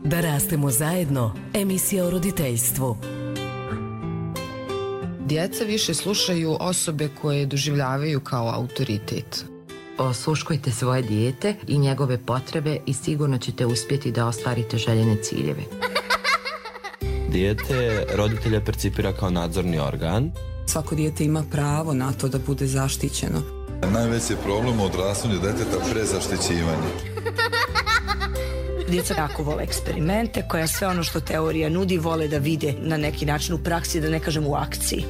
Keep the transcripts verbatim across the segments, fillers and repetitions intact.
Da rastemo zajedno, emisija o roditeljstvu. Djeca više slušaju osobe koje doživljavaju kao autoritet. Osluškujte svoje dijete i njegove potrebe i sigurno ćete uspjeti da ostvarite željene ciljeve. Dijete roditelja percipira kao nadzorni organ. Svako dijete ima pravo na to da bude zaštićeno. Najveći problem u odrastanju djeteta prezaštićivanje. Djeca jako vole eksperimente, koja sve ono što teorija nudi vole da vide na neki način u praksi, da ne kažem u akciji.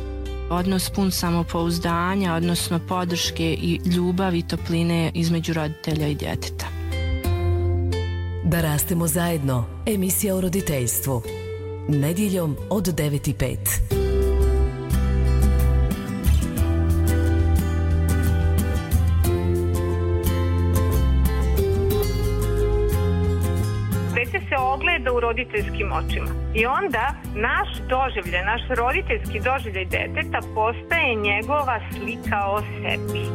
Odnos pun samopouzdanja, odnosno podrške i ljubavi i topline između roditelja i djeteta. Da rastemo zajedno, emisija o roditeljstvu. Nedjeljom od devet i pet. Se ogleda u roditeljskim očima. I onda naš doživljaj, naš roditeljski doživljaj deteta postaje njegova slika o sebi.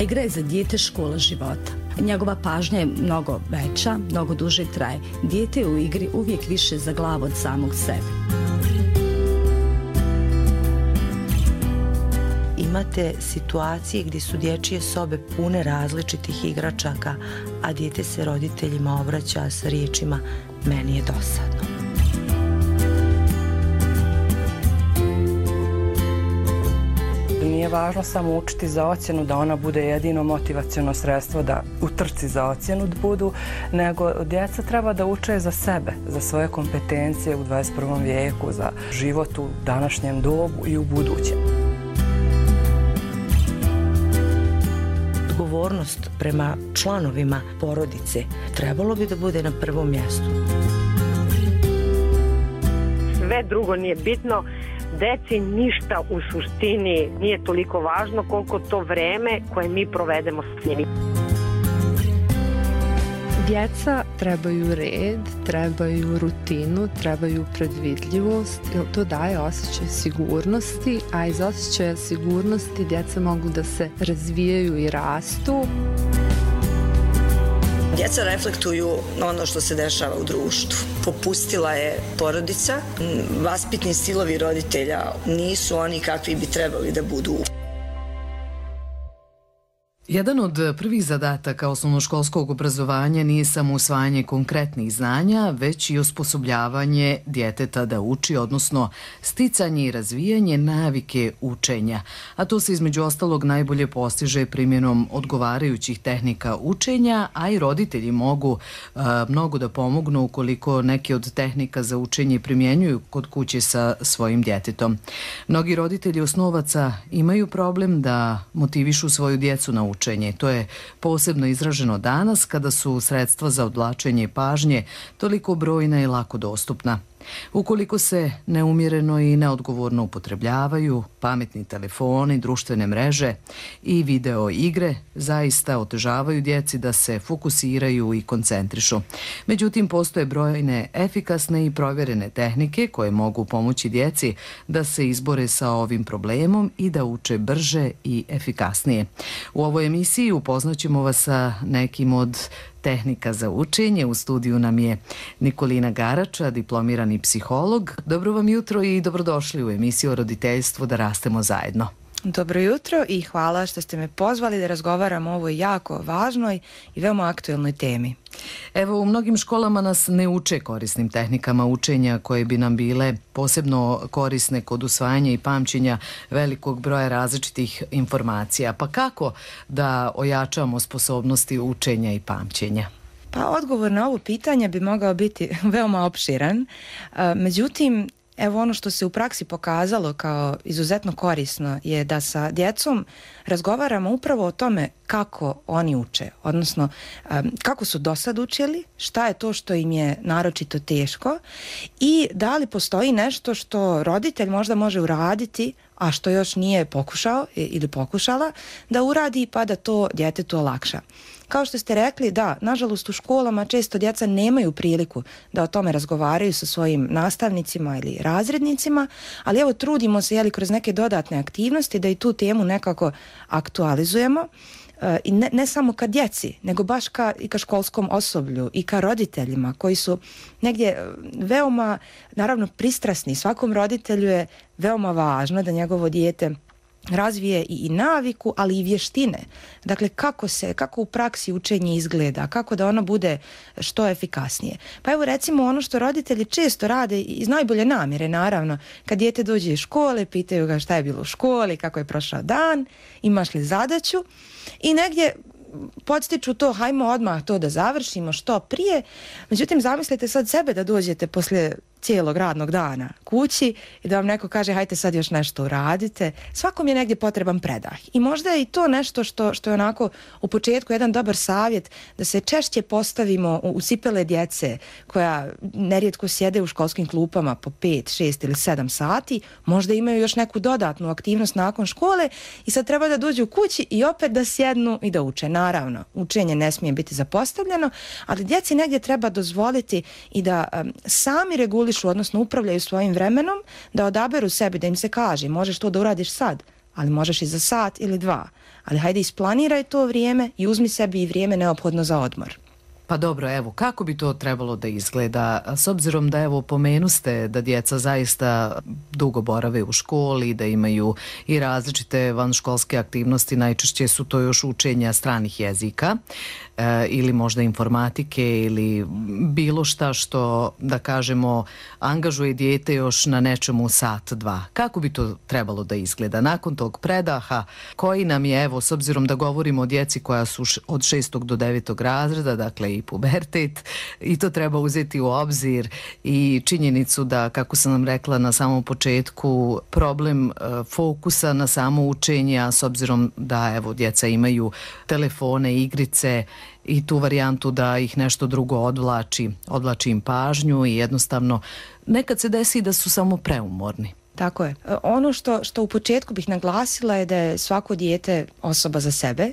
Igra je za dijete škola života. Njegova pažnja je mnogo veća, mnogo duže traje. Dijete je u igri uvijek više za glavu od samog sebe. Imate situacije gdje su dječje sobe pune različitih igračaka, a dijete se roditeljima obraća sa riječima "meni je dosadno". Nije važno samo učiti za ocjenu, da ona bude jedino motivaciono sredstvo da u trci za ocjenu budu, nego djeca treba da uče za sebe, za svoje kompetencije u dvadeset prvom vijeku, za život u današnjem dobu i u budućem. Odgovornost prema članovima porodice trebalo bi da bude na prvom mjestu. Sve drugo nije bitno, deci ništa u suštini nije toliko važno koliko to vreme koje mi provedemo s njimi. Djeca trebaju red, trebaju rutinu, trebaju predvidljivost, jer to daje osjećaj sigurnosti, a iz osjećaja sigurnosti djeca mogu da se razvijaju i rastu. Djeca reflektuju ono što se dešava u društvu. Popustila je porodica, vaspitni stilovi roditelja nisu oni kakvi bi trebali da budu. Jedan od prvih zadataka osnovnoškolskog obrazovanja nije samo usvajanje konkretnih znanja, već i osposobljavanje djeteta da uči, odnosno sticanje i razvijanje navike učenja. A to se između ostalog najbolje postiže primjenom odgovarajućih tehnika učenja, a i roditelji mogu a, mnogo da pomognu ukoliko neke od tehnika za učenje primjenjuju kod kuće sa svojim djetetom. Mnogi roditelji osnovaca imaju problem da motivišu svoju djecu na učenje. Učenje. To je posebno izraženo danas kada su sredstva za odvlačenje pažnje toliko brojna i lako dostupna. Ukoliko se neumjereno i neodgovorno upotrebljavaju, pametni telefoni, društvene mreže i video igre zaista otežavaju djeci da se fokusiraju i koncentrišu. Međutim, postoje brojne efikasne i provjerene tehnike koje mogu pomoći djeci da se izbore sa ovim problemom i da uče brže i efikasnije. U ovoj emisiji upoznaćemo vas sa nekim od tehnika za učenje. U studiju nam je Nikolina Garača, diplomirani psiholog. Dobro vam jutro i dobrodošli u emisiju o roditeljstvu Da rastemo zajedno. Dobro jutro i hvala što ste me pozvali da razgovaram o ovoj jako važnoj i veoma aktuelnoj temi. Evo, u mnogim školama nas ne uče korisnim tehnikama učenja koje bi nam bile posebno korisne kod usvajanja i pamćenja velikog broja različitih informacija. Pa kako da ojačamo sposobnosti učenja i pamćenja? Pa odgovor na ovo pitanje bi mogao biti veoma opširan. Međutim, evo ono što se u praksi pokazalo kao izuzetno korisno je da sa djecom razgovaramo upravo o tome kako oni uče, odnosno kako su do sad učili, šta je to što im je naročito teško i da li postoji nešto što roditelj možda može uraditi, a što još nije pokušao ili pokušala da uradi pa da to djetetu olakša. Kao što ste rekli, da, nažalost u školama često djeca nemaju priliku da o tome razgovaraju sa svojim nastavnicima ili razrednicima, ali evo trudimo se jeli, kroz neke dodatne aktivnosti da i tu temu nekako aktualizujemo. i ne, ne samo ka djeci, nego baš ka, i ka školskom osoblju i ka roditeljima koji su negdje veoma, naravno, pristrasni. Svakom roditelju je veoma važno da njegovo dijete razvije i, i naviku, ali i vještine. Dakle, kako se, kako u praksi učenje izgleda, kako da ono bude što efikasnije. Pa evo recimo ono što roditelji često rade iz najbolje namjere, naravno, kad dijete dođe iz škole, pitaju ga šta je bilo u školi, kako je prošao dan, imaš li zadaću i negdje podstiču to, hajmo odmah to da završimo što prije. Međutim, zamislite sad sebe da dođete poslije cijelog radnog dana kući i da vam neko kaže hajte sad još nešto uradite. Svakom je negdje potreban predah. I možda je i to nešto što, što je onako u početku jedan dobar savjet da se češće postavimo u, u cipele djece koja nerijetko sjede u školskim klupama po pet, šest ili sedam sati. Možda imaju još neku dodatnu aktivnost nakon škole i sad treba da dođu kući i opet da sjednu i da uče. Naravno, učenje ne smije biti zapostavljeno, ali djeci negdje treba dozvoliti i da um, sami regulišu, odnosno upravljaju svojim vremenom, da odaberu sebi, da im se kaže možeš to da uradiš sad, ali možeš i za sat ili dva. Ali hajde isplaniraj to vrijeme i uzmi sebi i vrijeme neophodno za odmor. Pa dobro, evo, kako bi to trebalo da izgleda? S obzirom da, evo, pomenuste da djeca zaista dugo borave u školi, da imaju i različite vanškolske aktivnosti, najčešće su to još učenja stranih jezika e, ili možda informatike ili bilo šta što, da kažemo, angažuje dijete još na nečemu sat, dva. Kako bi to trebalo da izgleda? Nakon tog predaha, koji nam je, evo, s obzirom da govorimo o djeci koja su od šestog do devetog razreda, dakle i pubertet, i to treba uzeti u obzir i činjenicu da, kako sam nam rekla na samom početku, problem e, fokusa na samo učenje, a s obzirom da, evo, djeca imaju telefone, igrice i tu varijantu da ih nešto drugo odvlači, odvlači im pažnju i jednostavno nekad se desi da su samo preumorni. Tako je. Ono što, što u početku bih naglasila je da je svako dijete osoba za sebe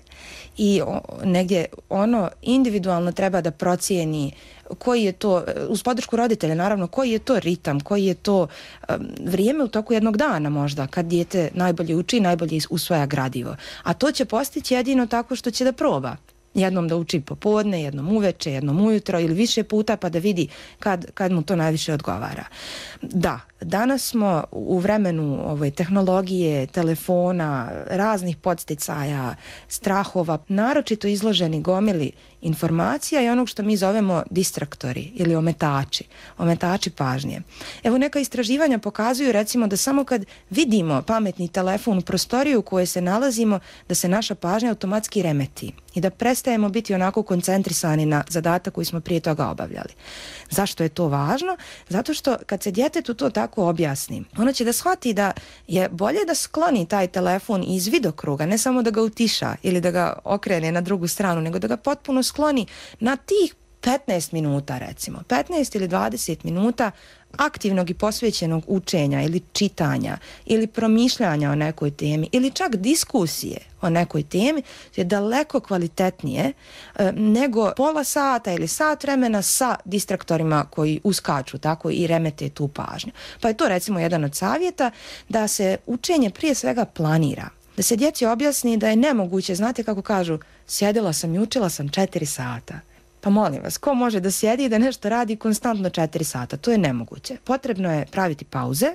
i negdje ono individualno treba da procijeni koji je to, uz podršku roditelja naravno, koji je to ritam, koji je to um, vrijeme u toku jednog dana možda, kad dijete najbolje uči, najbolje usvaja gradivo. A to će postići jedino tako što će da proba. Jednom da uči popodne, jednom uveče, jednom ujutro ili više puta pa da vidi kad, kad mu to najviše odgovara. Da, danas smo u vremenu ove tehnologije, telefona, raznih podsticaja, strahova, naročito izloženi gomili informacija i onog što mi zovemo distraktori ili ometači, ometači pažnje. Evo, neka istraživanja pokazuju recimo da samo kad vidimo pametni telefon u prostoriju u kojoj se nalazimo, da se naša pažnja automatski remeti i da prestajemo biti onako koncentrisani na zadatak koji smo prije toga obavljali. Zašto je to važno? Zato što kad se djetetu to tako objasni, ono će da shvati da je bolje da skloni taj telefon iz vidokruga, ne samo da ga utiša ili da ga okrene na drugu stranu, nego da ga potpuno skloni na tih petnaest minuta recimo, petnaest ili dvadeset minuta aktivnog i posvećenog učenja ili čitanja ili promišljanja o nekoj temi ili čak diskusije o nekoj temi je daleko kvalitetnije e, nego pola sata ili sat vremena sa distraktorima koji uskaču tako i remete tu pažnju. Pa je to recimo jedan od savjeta da se učenje prije svega planira. Da se djeci objasni da je nemoguće, znate kako kažu, sjedila sam i učila sam četiri sata. Pa molim vas, ko može da sjedi i da nešto radi konstantno četiri sata? To je nemoguće. Potrebno je praviti pauze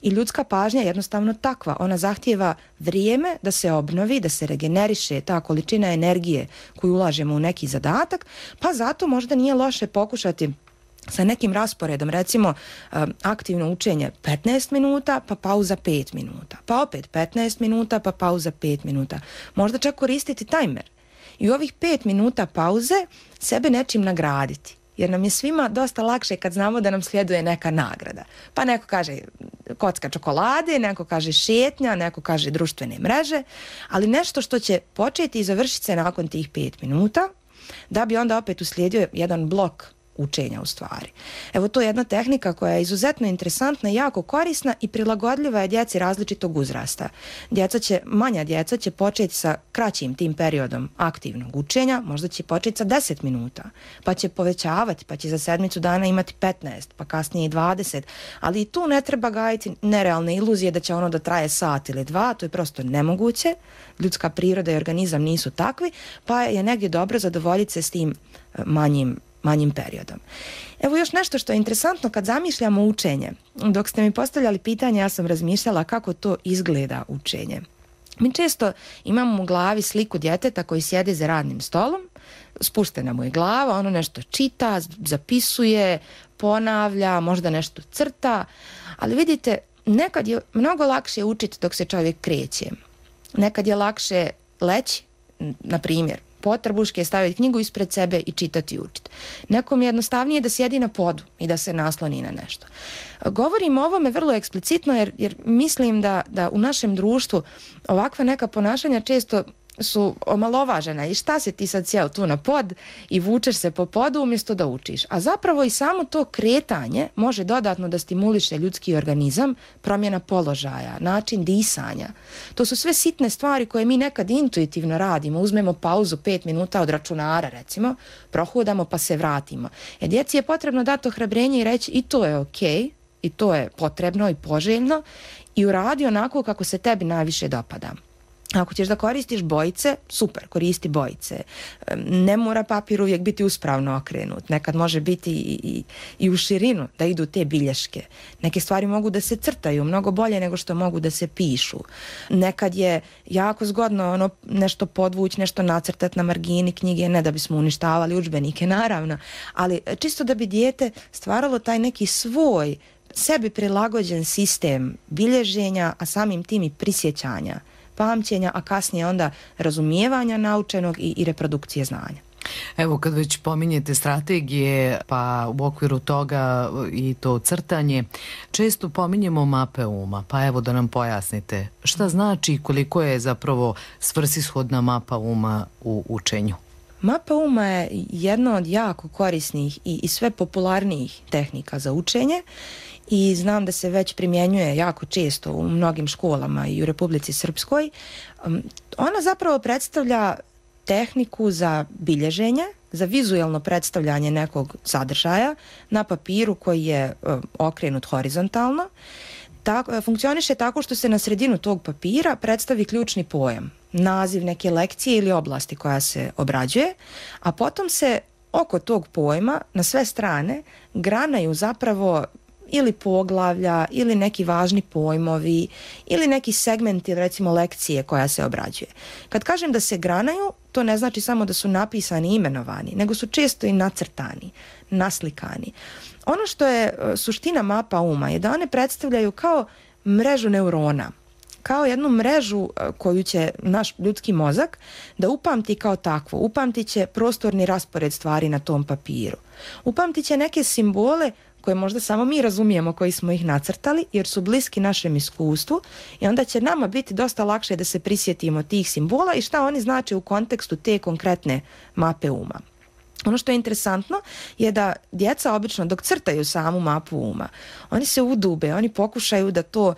i ljudska pažnja je jednostavno takva. Ona zahtijeva vrijeme da se obnovi, da se regeneriše ta količina energije koju ulažemo u neki zadatak, pa zato možda nije loše pokušati sa nekim rasporedom, recimo aktivno učenje petnaest minuta, pa pauza pet minuta, pa opet petnaest minuta, pa pauza pet minuta. Možda čak koristiti tajmer. I u ovih pet minuta pauze sebe nečim nagraditi. Jer nam je svima dosta lakše kad znamo da nam slijeduje neka nagrada. Pa neko kaže kocka čokolade, neko kaže šetnja, neko kaže društvene mreže, ali nešto što će početi i završiti se nakon tih pet minuta, da bi onda opet uslijedio jedan blok učenja u stvari. Evo, to je jedna tehnika koja je izuzetno interesantna, jako korisna i prilagodljiva je djeci različitog uzrasta. Djeca će, manja djeca će početi sa kraćim tim periodom aktivnog učenja, možda će početi sa deset minuta, pa će povećavati, pa će za sedmicu dana imati petnaest, pa kasnije i dvadeset, ali i tu ne treba gajiti nerealne iluzije da će ono da traje sat ili dva, to je prosto nemoguće, ljudska priroda i organizam nisu takvi, pa je negdje dobro zadovoljiti se s tim manjim manjim periodom. Evo još nešto što je interesantno kad zamišljamo učenje. Dok ste mi postavljali pitanje, ja sam razmišljala kako to izgleda učenje. Mi često imamo u glavi sliku djeteta koji sjede za radnim stolom, spuštena mu je glava, ono nešto čita, zapisuje, ponavlja, možda nešto crta, ali vidite, nekad je mnogo lakše učiti dok se čovjek kreće. Nekad je lakše leći, na primjer, potrbuške, staviti knjigu ispred sebe i čitati i učiti. Nekom je jednostavnije da sjedi na podu i da se nasloni na nešto. Govorim o ovome vrlo eksplicitno jer, jer mislim da, da u našem društvu ovakva neka ponašanja često su omalovažena i šta se ti sad sjeo tu na pod i vučeš se po podu umjesto da učiš. A zapravo i samo to kretanje može dodatno da stimuliše ljudski organizam, promjena položaja, način disanja. To su sve sitne stvari koje mi nekad intuitivno radimo. Uzmemo pauzu pet minuta od računara recimo, prohodamo pa se vratimo. Jer djeci je potrebno dati ohrabrenje i reći i to je okej, i to je potrebno i poželjno i uradi onako kako se tebi najviše dopada. Ako ćeš da koristiš bojice, super, koristi bojice. Ne mora papir uvijek biti uspravno okrenut. Nekad može biti i, i, i u širinu da idu te bilješke. Neke stvari mogu da se crtaju mnogo bolje nego što mogu da se pišu. Nekad je jako zgodno ono nešto podvući, nešto nacrtati na margini knjige, ne da bismo uništavali udžbenike, naravno, ali čisto da bi dijete stvaralo taj neki svoj, sebi prilagođen sistem bilježenja, a samim tim i prisjećanja, pamćenja, a kasnije onda razumijevanja naučenog i, i reprodukcije znanja. Evo, kad već pominjete strategije, pa u okviru toga i to crtanje, često pominjemo mape uma, pa evo da nam pojasnite šta znači i koliko je zapravo svrsishodna mapa uma u učenju. Mapa uma je jedna od jako korisnih i, i sve popularnijih tehnika za učenje i znam da se već primjenjuje jako često u mnogim školama i u Republici Srpskoj. Ona zapravo predstavlja tehniku za bilježenje, za vizuelno predstavljanje nekog sadržaja na papiru koji je okrenut horizontalno. Tako, funkcioniše tako što se na sredinu tog papira predstavi ključni pojam, naziv neke lekcije ili oblasti koja se obrađuje, a potom se oko tog pojma na sve strane granaju zapravo ili poglavlja, ili neki važni pojmovi, ili neki segmenti, recimo lekcije koja se obrađuje. Kad kažem da se granaju, to ne znači samo da su napisani i imenovani, nego su često i nacrtani, naslikani. Ono što je suština mapa uma je da one predstavljaju kao mrežu neurona, kao jednu mrežu koju će naš ljudski mozak da upamti kao takvo. Upamtit će prostorni raspored stvari na tom papiru. Upamtit će neke simbole koje možda samo mi razumijemo koji smo ih nacrtali jer su bliski našem iskustvu i onda će nama biti dosta lakše da se prisjetimo tih simbola i šta oni znače u kontekstu te konkretne mape uma. Ono što je interesantno je da djeca obično dok crtaju samu mapu uma, oni se udube, oni pokušaju da to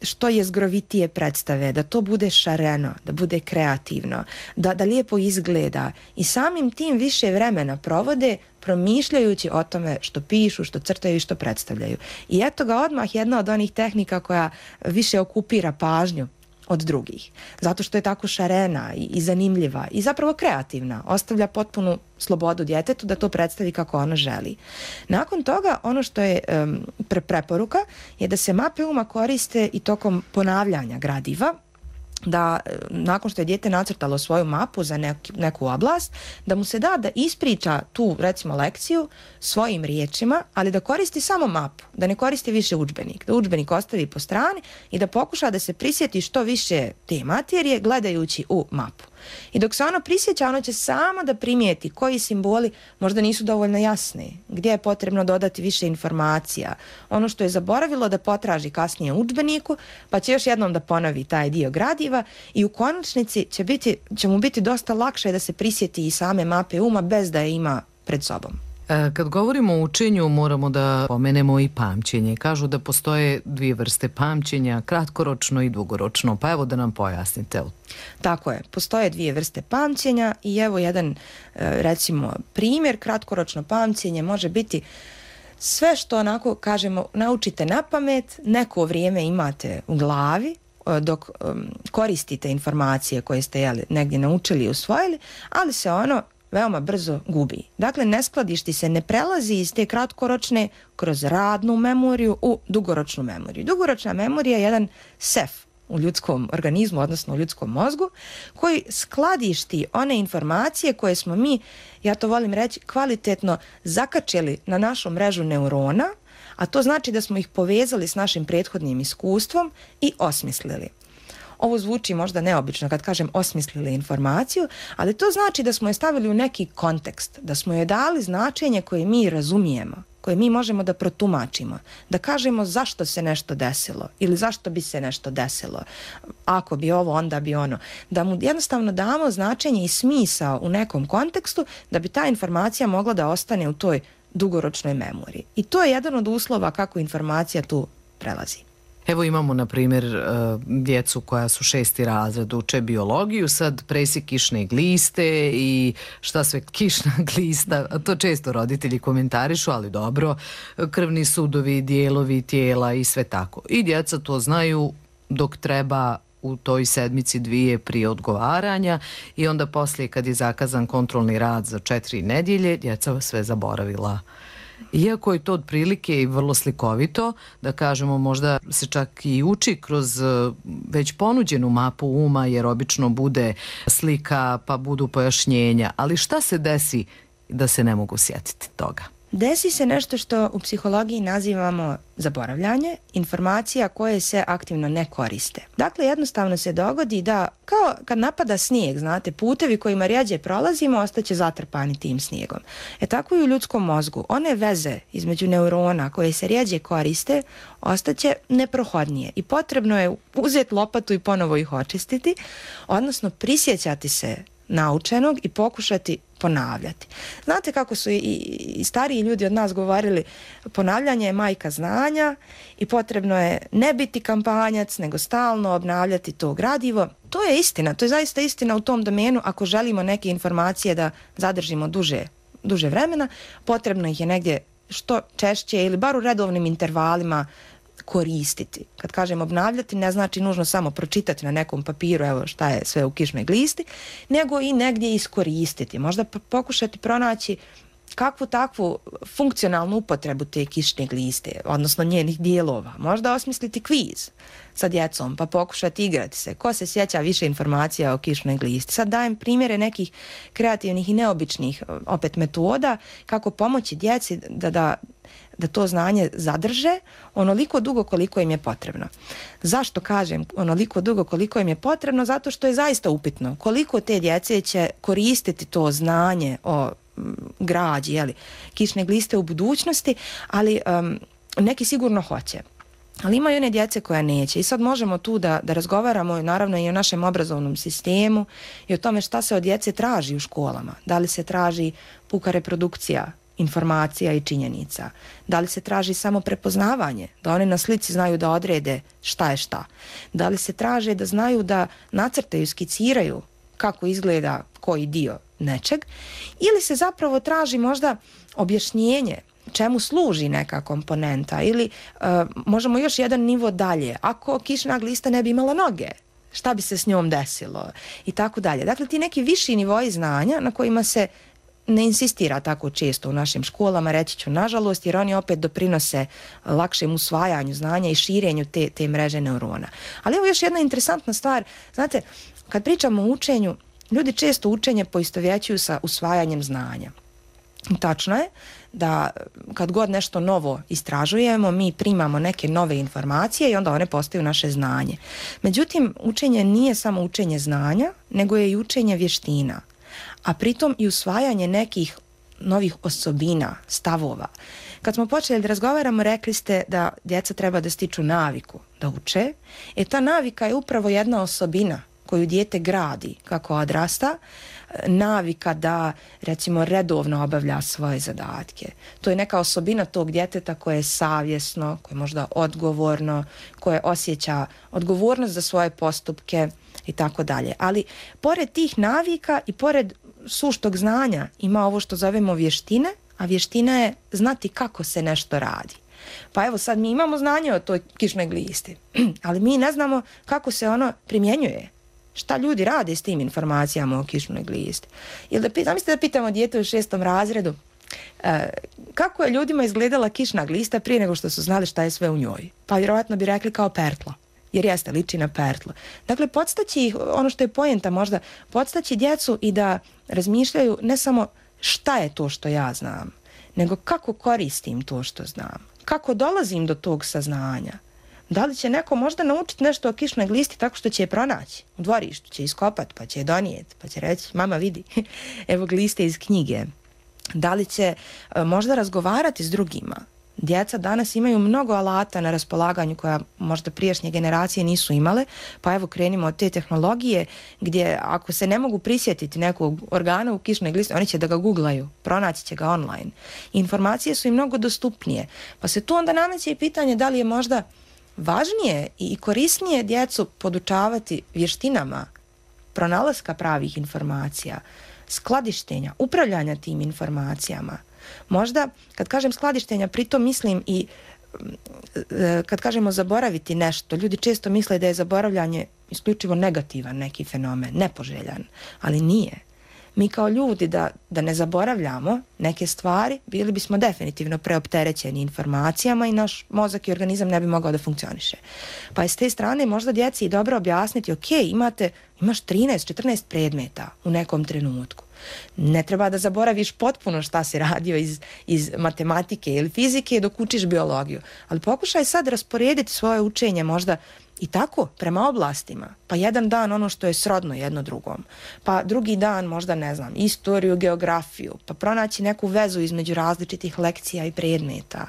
što je zgrovitije predstave, da to bude šareno, da bude kreativno, da, da lijepo izgleda i samim tim više vremena provode promišljajući o tome što pišu, što crtaju i što predstavljaju. I eto ga odmah jedna od onih tehnika koja više okupira pažnju od drugih. Zato što je tako šarena i, i zanimljiva i zapravo kreativna. Ostavlja potpunu slobodu djetetu da to predstavi kako ono želi. Nakon toga, ono što je um, pre preporuka je da se mape uma koriste i tokom ponavljanja gradiva, da nakon što je dijete nacrtalo svoju mapu za neki, neku oblast, da mu se da da ispriča tu recimo lekciju svojim riječima, ali da koristi samo mapu, da ne koristi više udžbenik, da udžbenik ostavi po strani i da pokuša da se prisjeti što više te materije gledajući u mapu. I dok se ono prisjeća, ono će samo da primijeti koji simboli možda nisu dovoljno jasni, gdje je potrebno dodati više informacija, ono što je zaboravilo da potraži kasnije u udžbeniku, pa će još jednom da ponovi taj dio gradiva i u konačnici će, biti, će mu biti dosta lakše da se prisjeti i same mape uma bez da je ima pred sobom. Kad govorimo o učenju, moramo da pomenemo i pamćenje. Kažu da postoje dvije vrste pamćenja, kratkoročno i dugoročno. Pa evo da nam pojasnite. Tako je, postoje dvije vrste pamćenja i evo jedan, recimo, primjer. Kratkoročno pamćenje može biti sve što, onako kažemo, naučite na pamet, neko vrijeme imate u glavi dok um, koristite informacije koje ste jeli, negdje naučili i usvojili, ali se ono veoma brzo gubi. Dakle, ne skladišti se, ne prelazi iz te kratkoročne kroz radnu memoriju u dugoročnu memoriju. Dugoročna memorija je jedan sef u ljudskom organizmu, odnosno u ljudskom mozgu, koji skladišti one informacije koje smo mi, ja to volim reći, kvalitetno zakačili na našu mrežu neurona, a to znači da smo ih povezali s našim prethodnim iskustvom i osmislili. Ovo zvuči možda neobično kad kažem osmislili informaciju, ali to znači da smo je stavili u neki kontekst, da smo je dali značenje koje mi razumijemo, koje mi možemo da protumačimo, da kažemo zašto se nešto desilo ili zašto bi se nešto desilo, ako bi ovo, onda bi ono. Da mu jednostavno damo značenje i smisao u nekom kontekstu da bi ta informacija mogla da ostane u toj dugoročnoj memoriji. I to je jedan od uslova kako informacija tu prelazi. Evo imamo, na primjer, djecu koja su šesti razred, uče biologiju, sad presjek kišne gliste i šta sve kišna glista, to često roditelji komentarišu, ali dobro, krvni sudovi, dijelovi tijela i sve tako. I djeca to znaju dok treba u toj sedmici dvije prije odgovaranja i onda poslije kad je zakazan kontrolni rad za četiri nedjelje, djeca sve zaboravila. Iako je to otprilike i vrlo slikovito, da kažemo možda se čak i uči kroz već ponuđenu mapu uma, jer obično bude slika pa budu pojašnjenja, ali šta se desi da se ne mogu sjetiti toga? Desi se nešto što u psihologiji nazivamo zaboravljanje informacija koje se aktivno ne koriste. Dakle, jednostavno se dogodi da, kao kad napada snijeg, znate, putevi kojima rjeđe prolazimo ostaće zatrpani tim snijegom. E tako i u ljudskom mozgu. One veze između neurona koje se rjeđe koriste ostaće neprohodnije i potrebno je uzeti lopatu i ponovo ih očistiti, odnosno prisjećati se naučenog i pokušati ponavljati. Znate kako su i, i stariji ljudi od nas govorili, ponavljanje je majka znanja i potrebno je ne biti kampanjac, nego stalno obnavljati to gradivo. To je istina, to je zaista istina u tom domenu. Ako želimo neke informacije da zadržimo duže, duže vremena, potrebno ih je negdje što češće ili bar u redovnim intervalima koristiti. Kad kažem obnavljati, ne znači nužno samo pročitati na nekom papiru evo šta je sve u kišnoj glisti, nego i negdje iskoristiti. Možda pokušati pronaći kakvu takvu funkcionalnu upotrebu te kišne gliste, odnosno njenih dijelova. Možda osmisliti kviz sa djecom, pa pokušati igrati se. Ko se sjeća više informacija o kišnoj glisti? Sad dajem primjere nekih kreativnih i neobičnih opet metoda kako pomoći djeci da, da da to znanje zadrže onoliko dugo koliko im je potrebno. Zašto kažem onoliko dugo koliko im je potrebno? Zato što je zaista upitno koliko te djece će koristiti to znanje o građi, jeli, kišne gliste u budućnosti, ali um, neki sigurno hoće. Ali ima i one djece koja neće i sad možemo tu da, da razgovaramo naravno i o našem obrazovnom sistemu i o tome šta se od djece traži u školama. Da li se traži puka reprodukcija informacija i činjenica? Da li se traži samo prepoznavanje, da oni na slici znaju da odrede šta je šta? Da li se traže da znaju da nacrtaju, skiciraju kako izgleda koji dio nečeg? Ili se zapravo traži možda objašnjenje čemu služi neka komponenta ili uh, možemo još jedan nivo dalje. Ako kišna glista ne bi imala noge, šta bi se s njom desilo? I tako dalje. Dakle, ti neki viši nivoji znanja na kojima se ne insistira tako često u našim školama, reći ću nažalost, jer oni opet doprinose lakšem usvajanju znanja i širenju te, te mreže neurona. Ali evo još jedna interesantna stvar. Znate, kad pričamo o učenju, ljudi često učenje poistovjećuju sa usvajanjem znanja. Tačno je da kad god nešto novo istražujemo, mi primamo neke nove informacije i onda one postaju naše znanje. Međutim, učenje nije samo učenje znanja, nego je i učenje vještina, a pritom i usvajanje nekih novih osobina, stavova. Kad smo počeli da razgovaramo, rekli ste da djeca treba da stiču naviku da uče. E ta navika je upravo jedna osobina koju dijete gradi kako odrasta, navika da recimo redovno obavlja svoje zadatke. To je neka osobina tog djeteta koje je savjesno, koje je možda odgovorno, koje osjeća odgovornost za svoje postupke i tako dalje. Ali pored tih navika i pored suštog znanja ima ovo što zovemo vještine, a vještina je znati kako se nešto radi. Pa evo sad mi imamo znanje o toj kišnoj glisti, ali mi ne znamo kako se ono primjenjuje. Šta ljudi rade s tim informacijama o kišnoj glisti. Ili da, zamislite da pitamo dijete u šestom razredu e, kako je ljudima izgledala kišna glista prije nego što su znali šta je sve u njoj. Pa vjerovatno bi rekli kao pertlo, jer jeste, liči na pertlo. Dakle, podstaći ih, ono što je poenta možda, podstaći djecu i da razmišljaju ne samo šta je to što ja znam, nego kako koristim to što znam, kako dolazim do tog saznanja. Da li će neko možda naučiti nešto o kišnoj glisti tako što će je pronaći u dvorištu, će iskopati, pa će je donijeti, pa će reći mama vidi, evo gliste iz knjige. Da li će e, možda razgovarati s drugima. Djeca danas imaju mnogo alata na raspolaganju koja možda prijašnje generacije nisu imale, pa evo krenimo od te tehnologije gdje ako se ne mogu prisjetiti nekog organa u kišnoj glisti, oni će da ga googlaju, pronaći će ga online. Informacije su i mnogo dostupnije, pa se tu onda nameće i pitanje da li je možda važnije i korisnije djecu podučavati vještinama pronalaska pravih informacija, skladištenja, upravljanja tim informacijama. Možda, kad kažem skladištenja, pritom mislim i kad kažemo zaboraviti nešto, ljudi često misle da je zaboravljanje isključivo negativan neki fenomen, nepoželjan, ali nije. Mi kao ljudi da, da ne zaboravljamo neke stvari, bili bismo definitivno preopterećeni informacijama i naš mozak i organizam ne bi mogao da funkcioniše. Pa je s te strane možda djeci i dobro objasniti, ok, imate, imaš trinaest četrnaest predmeta u nekom trenutku. Ne treba da zaboraviš potpuno šta si radio iz, iz matematike ili fizike dok učiš biologiju, ali pokušaj sad rasporediti svoje učenje možda i tako, prema oblastima. Pa jedan dan ono što je srodno jedno drugom. Pa drugi dan možda, ne znam, istoriju, geografiju. Pa pronaći neku vezu između različitih lekcija i predmeta.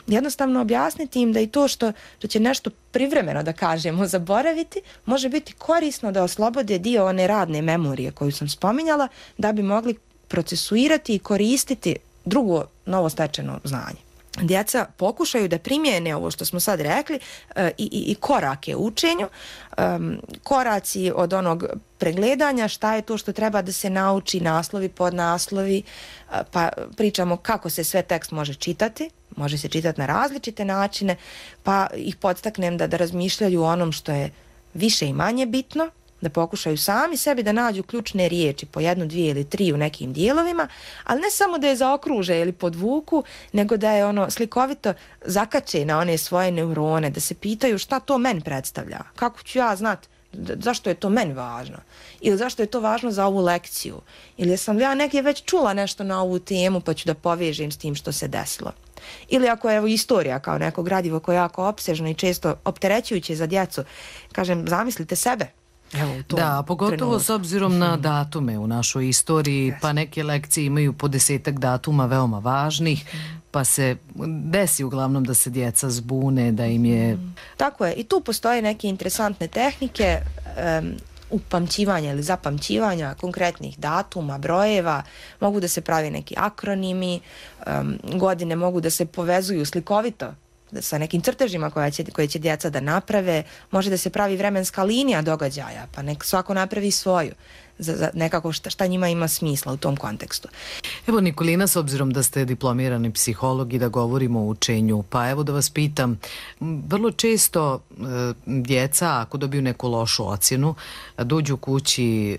Jednostavno objasniti im da i to što, što će nešto privremeno, da kažemo, zaboraviti, može biti korisno da oslobode dio one radne memorije koju sam spominjala, da bi mogli procesuirati i koristiti drugo novostečeno znanje. Djeca pokušaju da primijene ovo što smo sad rekli e, i, i korake u učenju, um, koraci od onog pregledanja, šta je to što treba da se nauči, naslovi, podnaslovi, pa pričamo kako se sve tekst može čitati, može se čitati na različite načine, pa ih podstaknem da, da razmišljaju o onom što je više i manje bitno, da pokušaju sami sebi da nađu ključne riječi po jednu, dvije ili tri u nekim dijelovima, ali ne samo da je zaokruže ili podvuku, nego da je ono slikovito zakače na one svoje neurone, da se pitaju šta to meni predstavlja, kako ću ja znat zašto je to meni važno ili zašto je to važno za ovu lekciju ili sam ja negdje već čula nešto na ovu temu pa ću da povežem s tim što se desilo. Ili ako je evo istorija kao neko gradivo koje je jako opsežno i često opterećujuće za djecu, kažem, zamislite sebe. Evo, da, pogotovo trenutku. S obzirom na datume u našoj istoriji, yes. Pa neke lekcije imaju po desetak datuma veoma važnih, pa se desi uglavnom da se djeca zbune, da im je... Tako je, i tu postoje neke interesantne tehnike um, upamćivanja ili zapamćivanja konkretnih datuma, brojeva, mogu da se pravi neki akronimi, um, godine mogu da se povezuju slikovito sa nekim crtežima koje će, koje će djeca da naprave, može da se pravi vremenska linija događaja, pa nek svako napravi svoju, za, za nekako šta, šta njima ima smisla u tom kontekstu. Evo Nikolina, s obzirom da ste diplomirani psiholog i da govorimo o učenju, pa evo da vas pitam, vrlo često e, djeca ako dobiju neku lošu ocjenu, dođu kući e,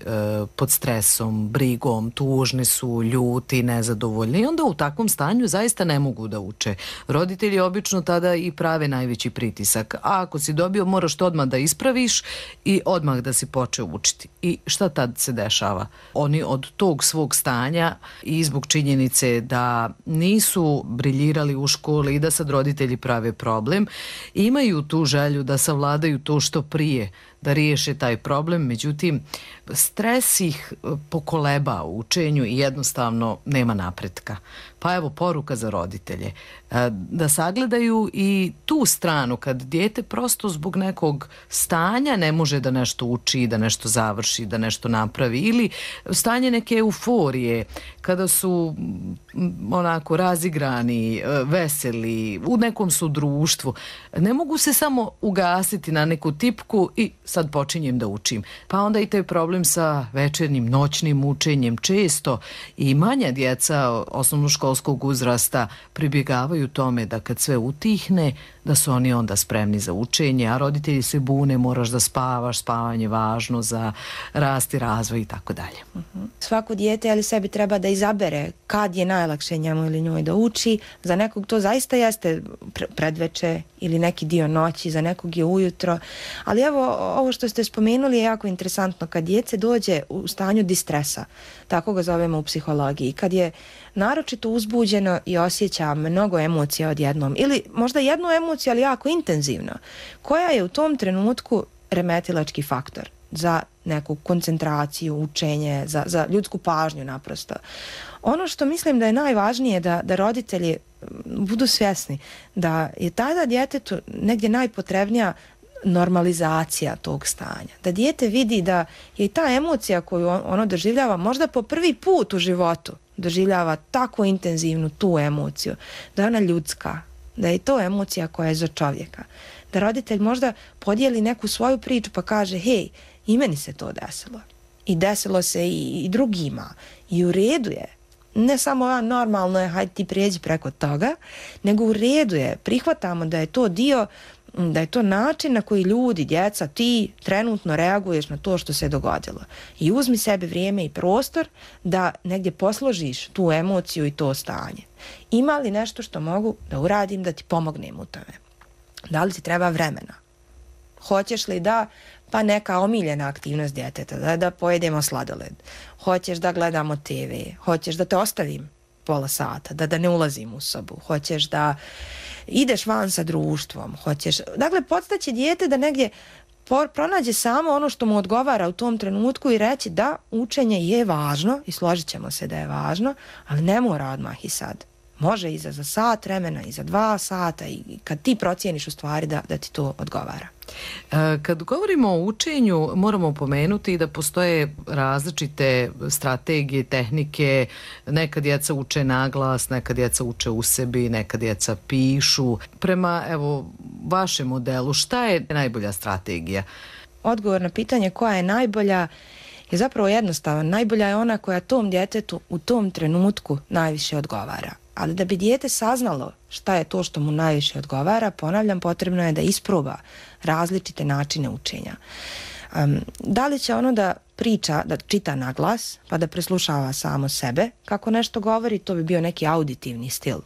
pod stresom, brigom, tužni su, ljuti, nezadovoljni i onda u takvom stanju zaista ne mogu da uče. Roditelji obično tada i prave najveći pritisak, a ako si dobio moraš to odmah da ispraviš i odmah da si počeo učiti. I šta tad se dešava? Oni od tog svog stanja i zbog činjenice da nisu briljirali u školi i da sad roditelji prave problem, imaju tu želju da savladaju to što prije, da riješe taj problem, međutim stres ih pokoleba u učenju i jednostavno nema napretka. Pa evo poruka za roditelje, da sagledaju i tu stranu kad dijete prosto zbog nekog stanja ne može da nešto uči, da nešto završi, da nešto napravi, ili stanje neke euforije, kada su onako razigrani, veseli, u nekom su društvu. Ne mogu se samo ugasiti na neku tipku i sad počinjem da učim. Pa onda i taj problem sa večernjim, noćnim učenjem. Često i manja djeca osnovnoškolskog uzrasta pribjegavaju tome da kad sve utihne, da su oni onda spremni za učenje, a roditelji se bune, moraš da spavaš, spavanje je važno za rast i razvoj i tako dalje. Svako dijete ali sebi treba da izabere kad je najlakše njemu ili njoj da uči. Za nekog to zaista jeste predveče ili neki dio noći, za nekog je ujutro. Ali evo, ovo što ste spomenuli je jako interesantno. Kad djece dođe u stanju distresa, tako ga zovemo u psihologiji, kad je naročito uzbuđeno i osjeća mnogo emocija odjednom, ili možda jednu emociju, ali jako intenzivno, koja je u tom trenutku remetilački faktor za neku koncentraciju, učenje, za, za ljudsku pažnju naprosto. Ono što mislim da je najvažnije da, da roditelji budu svjesni da je tada djetetu negdje najpotrebnija normalizacija tog stanja. Da dijete vidi da je i ta emocija koju ono doživljava možda po prvi put u životu doživljava tako intenzivnu tu emociju, da je ona ljudska, da je to emocija koja je za čovjeka. Da roditelj možda podijeli neku svoju priču pa kaže, hej, i meni se to desilo. I desilo se i, i drugima. I u redu je. Ne samo ja, normalno je, hajde ti prijeđi preko toga, nego u redu je. Prihvatamo da je to dio, da je to način na koji ljudi, djeca, ti trenutno reaguješ na to što se dogodilo. I uzmi sebi vrijeme i prostor da negdje posložiš tu emociju i to stanje. Ima li nešto što mogu da uradim da ti pomognem u tome? Da li ti treba vremena? Hoćeš li da, pa neka omiljena aktivnost djeteta, da, da pojedemo sladoled? Hoćeš da gledamo te ve? Hoćeš da te ostavim pola sata, da, da ne ulazim u sobu? Hoćeš da ideš van sa društvom? Hoćeš... Dakle, podstaći dijete da negdje pronađe samo ono što mu odgovara u tom trenutku i reći da učenje je važno i složit ćemo se da je važno, ali ne mora odmah i sad. Može i za, za sat vremena, i za dva sata, i kad ti procijeniš u stvari da, da ti to odgovara. Kad govorimo o učenju, moramo pomenuti da postoje različite strategije, tehnike. Neka djeca uče naglas, neka djeca uče u sebi, neka djeca pišu. Prema, evo, vašem modelu, šta je najbolja strategija? Odgovor na pitanje koja je najbolja je zapravo jednostavan. Najbolja je ona koja tom djetetu u tom trenutku najviše odgovara. Ali da bi dijete saznalo šta je to što mu najviše odgovara, ponavljam, potrebno je da isproba različite načine učenja. Um, da li će ono da priča, da čita na glas, pa da preslušava samo sebe kako nešto govori, to bi bio neki auditivni stil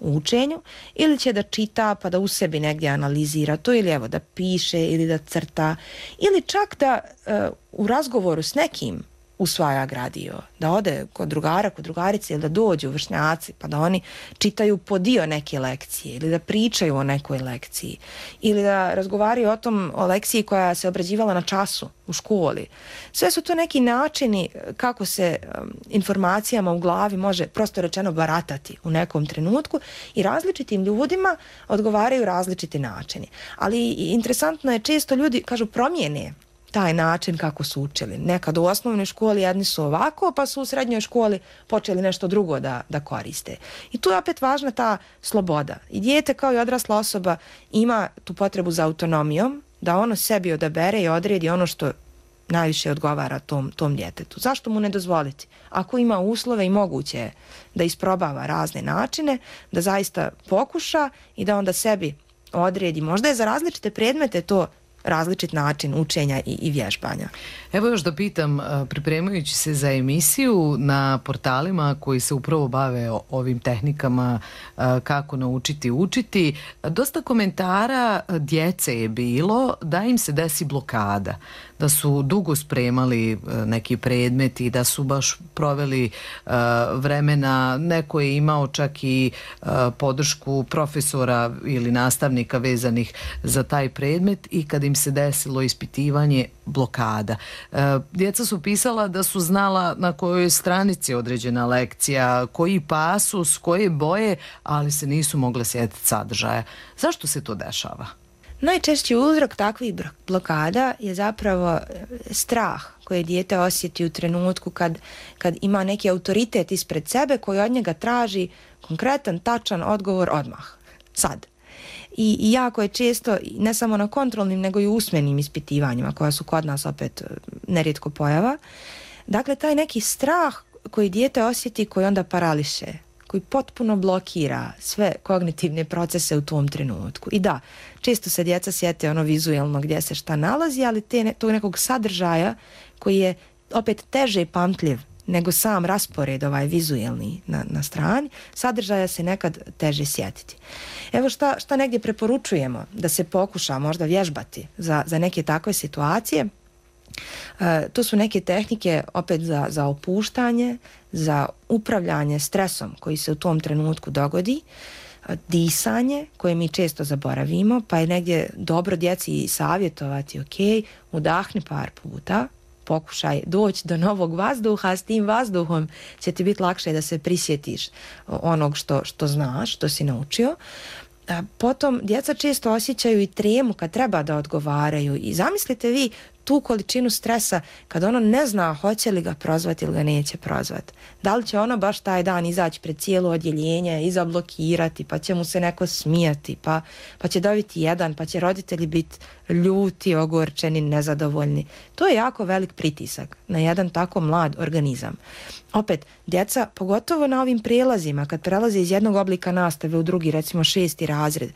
u učenju, ili će da čita pa da u sebi negdje analizira to, ili evo da piše ili da crta, ili čak da uh, u razgovoru s nekim usvaja gradivo, da ode kod drugara, kod drugarice, ili da dođu vršnjaci pa da oni čitaju po dio neke lekcije, ili da pričaju o nekoj lekciji, ili da razgovaraju o tom, o lekciji koja se obrađivala na času u školi. Sve su to neki načini kako se um, informacijama u glavi može prosto rečeno baratati u nekom trenutku i različitim ljudima odgovaraju različiti načini. Ali interesantno je, često ljudi kažu promijene taj način kako su učili. Nekad u osnovnoj školi jedni su ovako, pa su u srednjoj školi počeli nešto drugo da, da koriste. I tu je opet važna ta sloboda. I dijete kao i odrasla osoba ima tu potrebu za autonomijom, da ono sebi odabere i odredi ono što najviše odgovara tom, tom djetetu. Zašto mu ne dozvoliti? Ako ima uslove i moguće je da isprobava razne načine, da zaista pokuša i da onda sebi odredi. Možda je za različite predmete to različit način učenja i, i vježbanja. Evo još da pitam, pripremajući se za emisiju, na portalima koji se upravo bave ovim tehnikama kako naučiti učiti, dosta komentara djece je bilo da im se desi blokada, da da su dugo spremali neki predmet i da su baš proveli vremena, neko je imao čak i podršku profesora ili nastavnika vezanih za taj predmet i kad im se desilo ispitivanje, blokada. Djeca su pisala da su znala na kojoj stranici određena lekcija, koji pasus, koje boje, ali se nisu mogle sjetiti sadržaja. Zašto se to dešava? Najčešći uzrok takvih blokada je zapravo strah koje dijete osjeti u trenutku kad, kad ima neki autoritet ispred sebe koji od njega traži konkretan, tačan odgovor odmah, sad. I, i jako je često, ne samo na kontrolnim, nego i usmenim ispitivanjima, koja su kod nas opet nerijetko pojava. Dakle, taj neki strah koji dijete osjeti, koji onda parališe, koji potpuno blokira sve kognitivne procese u tom trenutku. I da, često se djeca sjete ono vizuelno gdje se šta nalazi, ali te, tog nekog sadržaja koji je opet teže pamtljiv nego sam raspored ovaj vizuelni na, na strani, sadržaja se nekad teže sjetiti. Evo šta, šta negdje preporučujemo da se pokuša možda vježbati za, za neke takve situacije. E, to su neke tehnike opet za, za opuštanje, za upravljanje stresom koji se u tom trenutku dogodi, disanje koje mi često zaboravimo, pa je negdje dobro djeci savjetovati, ok, udahni par puta, pokušaj doći do novog vazduha, a s tim vazduhom će ti biti lakše da se prisjetiš onog što, što znaš, što si naučio. A potom djeca često osjećaju i tremu kad treba da odgovaraju i zamislite vi tu količinu stresa kad ono ne zna hoće li ga prozvati ili ga neće prozvati. Da li će ono baš taj dan izaći pred cijelo odjeljenje i zablokirati, pa će mu se neko smijati, pa, pa će dobiti jedan, pa će roditelji biti ljuti, ogorčeni, nezadovoljni. To je jako velik pritisak na jedan tako mlad organizam. Opet, djeca, pogotovo na ovim prijelazima, kad prelaze iz jednog oblika nastave u drugi, recimo šesti razred,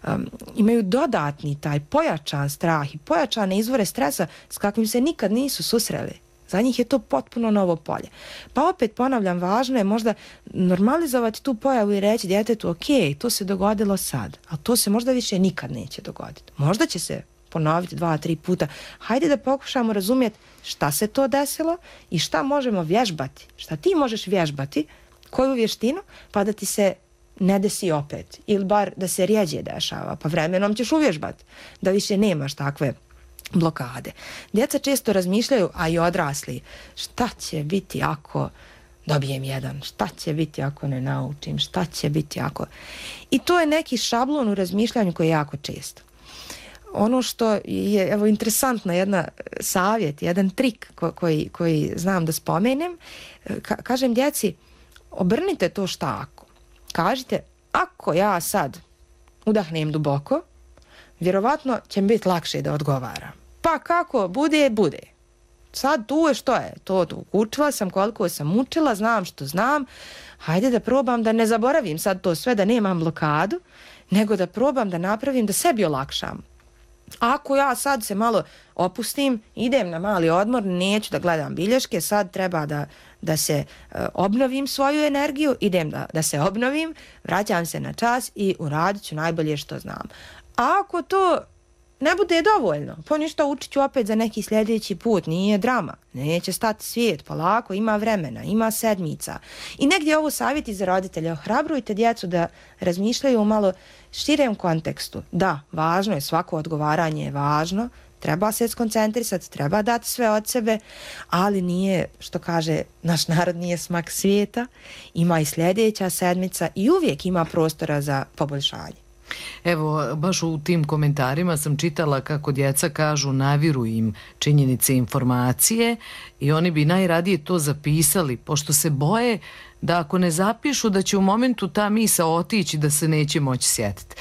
um, imaju dodatni taj pojačan strah i pojačane izvore stresa s kakvim se nikad nisu susreli. Za njih je to potpuno novo polje. Pa opet ponavljam, važno je možda normalizovati tu pojavu i reći djetetu, ok, to se dogodilo sad, ali to se možda više nikad neće dogoditi. Možda će se ponoviti dva, tri puta. Hajde da pokušamo razumjeti šta se to desilo i šta možemo vježbati. Šta ti možeš vježbati, koju vještinu, pa da ti se ne desi opet. Ili bar da se rijeđe dešava, pa vremenom ćeš uvježbati da više nemaš takve blokade. Djeca često razmišljaju, a i odrasli, šta će biti ako dobijem jedan, šta će biti ako ne naučim, šta će biti ako... I to je neki šablon u razmišljanju koji je jako često. Ono što je, evo, interesantna jedna savjet, jedan trik ko, koji, koji znam da spomenem, ka, kažem djeci, obrnite to šta ako. Kažite, ako ja sad udahnem duboko, vjerovatno će mi biti lakše da odgovaram. Pa kako bude, bude. Sad tu je što je, to tu učila sam, koliko sam učila, znam što znam, hajde da probam da ne zaboravim sad to sve, da nemam blokadu, nego da probam da napravim, da sebi olakšam. Ako ja sad se malo opustim, idem na mali odmor, neću da gledam bilješke, sad treba da, da se uh, obnovim svoju energiju, idem da, da se obnovim, vraćam se na čas i uradit ću najbolje što znam. A ako to ne bude dovoljno, pa ništa, učit ću opet za neki sljedeći put, nije drama, neće stati svijet, polako, ima vremena, ima sedmica. I negdje ovo savjeti za roditelje, ohrabrujte djecu da razmišljaju u malo širem kontekstu. Da, važno je, svako odgovaranje je važno, treba se skoncentrisati, treba dati sve od sebe, ali nije, što kaže naš narod, nije smak svijeta, ima i sljedeća sedmica i uvijek ima prostora za poboljšanje. Evo, baš u tim komentarima sam čitala kako djeca kažu naviru im činjenice, informacije i oni bi najradije to zapisali, pošto se boje da ako ne zapišu da će u momentu ta misao otići, da se neće moći sjetiti.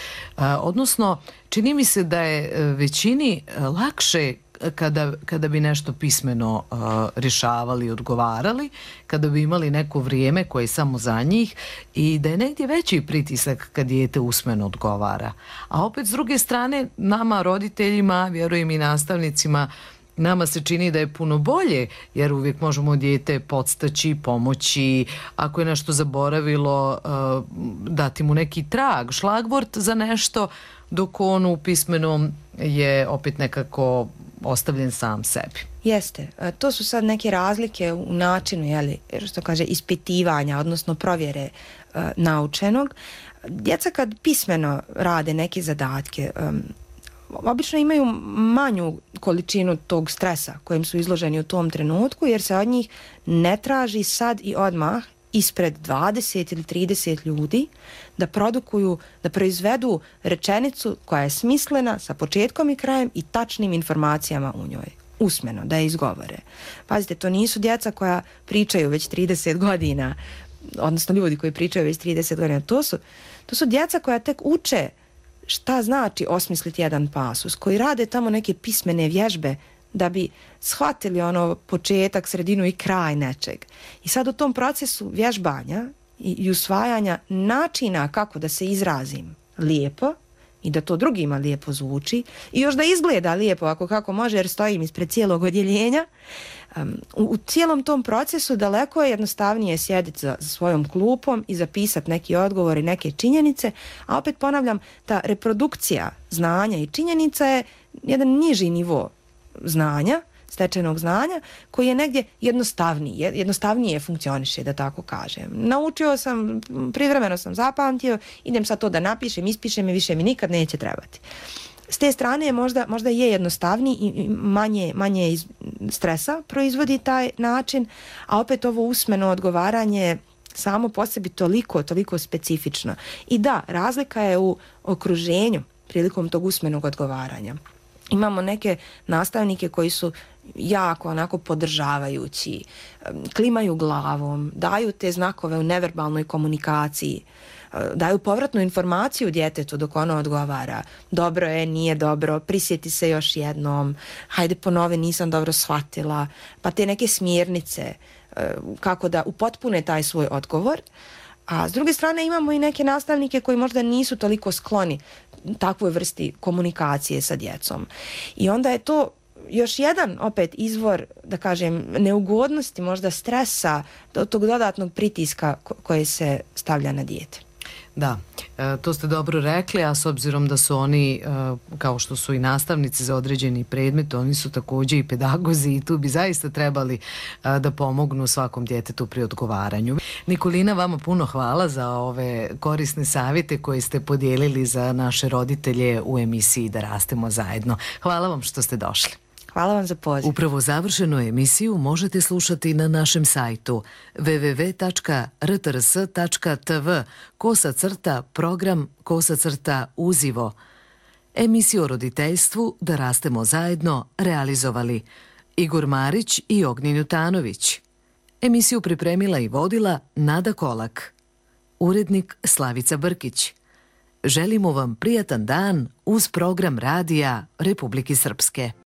Odnosno, čini mi se da je većini lakše kada, kada bi nešto pismeno uh, rješavali i odgovarali, kada bi imali neko vrijeme koje je samo za njih i da je negdje veći pritisak kad dijete usmeno odgovara. A opet s druge strane, nama roditeljima, vjerujem i nastavnicima, nama se čini da je puno bolje, jer uvijek možemo dijete podstaći, pomoći, ako je nešto zaboravilo, uh, dati mu neki trag, šlagvort za nešto, dok on u pismenom je opet nekako ostavljen sam sebi. Jeste. To su sad neke razlike u načinu, jeli, što kaže, ispitivanja, odnosno provjere uh, naučenog. Djeca kad pismeno rade neke zadatke, um, obično imaju manju količinu tog stresa kojem su izloženi u tom trenutku, jer se od njih ne traži sad i odmah ispred dvadeset ili trideset ljudi da produkuju, da proizvedu rečenicu koja je smislena sa početkom i krajem i tačnim informacijama u njoj. Usmeno, da je izgovore. Pazite, to nisu djeca koja pričaju već trideset godina, odnosno ljudi koji pričaju već trideset godina. To su, to su djeca koja tek uče šta znači osmisliti jedan pasus, koji rade tamo neke pismene vježbe da bi shvatili ono početak, sredinu i kraj nečeg. I sad u tom procesu vježbanja i, i usvajanja načina kako da se izrazim lijepo i da to drugima lijepo zvuči i još da izgleda lijepo ako kako može jer stojim ispred cijelog odjeljenja, um, u, u cijelom tom procesu daleko je jednostavnije sjediti za, za svojom klupom i zapisati neki odgovor i neke činjenice, a opet ponavljam, ta reprodukcija znanja i činjenica je jedan niži nivo znanja, stečenog znanja, koji je negdje jednostavniji, jednostavnije funkcioniše, da tako kažem. Naučio sam, privremeno sam zapamtio, idem sad to da napišem, ispišem i više mi nikad neće trebati. S te strane možda, možda je jednostavniji i manje, manje iz stresa proizvodi taj način, a opet ovo usmeno odgovaranje samo po sebi toliko, toliko specifično. I da, razlika je u okruženju prilikom tog usmenog odgovaranja. Imamo neke nastavnike koji su jako onako podržavajući, klimaju glavom, daju te znakove u neverbalnoj komunikaciji, daju povratnu informaciju djetetu dok ono odgovara. Dobro je, nije dobro, prisjeti se još jednom, hajde ponovi, nisam dobro shvatila, pa te neke smjernice kako da upotpune taj svoj odgovor. A s druge strane imamo i neke nastavnike koji možda nisu toliko skloni takvoj vrsti komunikacije sa djecom. I onda je to još jedan opet izvor, da kažem, neugodnosti, možda stresa, tog dodatnog pritiska koje se stavlja na dijete. Da, e, to ste dobro rekli, a s obzirom da su oni, e, kao što su i nastavnici za određeni predmet, oni su također i pedagozi i tu bi zaista trebali e, da pomognu svakom djetetu pri odgovaranju. Nikolina, vama puno hvala za ove korisne savjete koje ste podijelili za naše roditelje u emisiji Da rastemo zajedno. Hvala vam što ste došli. Hvala vam za poziv. Upravo završenu emisiju možete slušati na našem sajtu w w w tačka r t r s tačka t v kosa crta program kosa crta uzivo. Emisiju o roditeljstvu Da rastemo zajedno realizovali Igor Marić i Ognjen Jutanović. Emisiju pripremila i vodila Nada Kolak. Urednik Slavica Brkić. Želimo vam prijatan dan uz program radija Republike Srpske.